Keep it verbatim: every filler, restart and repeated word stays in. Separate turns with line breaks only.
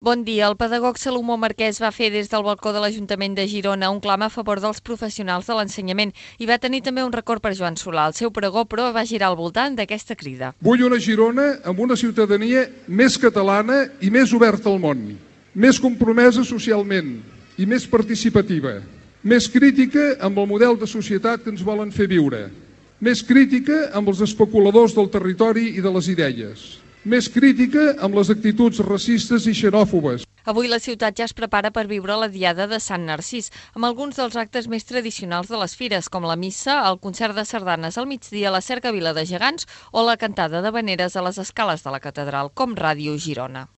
Bon dia. El pedagog Salomó Marquès va fer des del balcó de l'Ajuntament de Girona un clam a favor dels professionals de l'ensenyament i va tenir també un record per Joan Solà. El seu pregó, però, va girar al voltant d'aquesta crida.
Vull una Girona amb una ciutadania més catalana i més oberta al món, més compromesa socialment i més participativa, més crítica amb el model de societat que ens volen fer viure, més crítica amb els especuladors del territori i de les idees, més crítica amb les actituds racistes i xenòfobes.
Avui la ciutat ja es prepara per viure la Diada de Sant Narcís, amb alguns dels actes més tradicionals de les fires, com la missa, el concert de sardanes al migdia, la cercavila de gegants o la cantada d'havaneres a les escales de la catedral, com Ràdio Girona.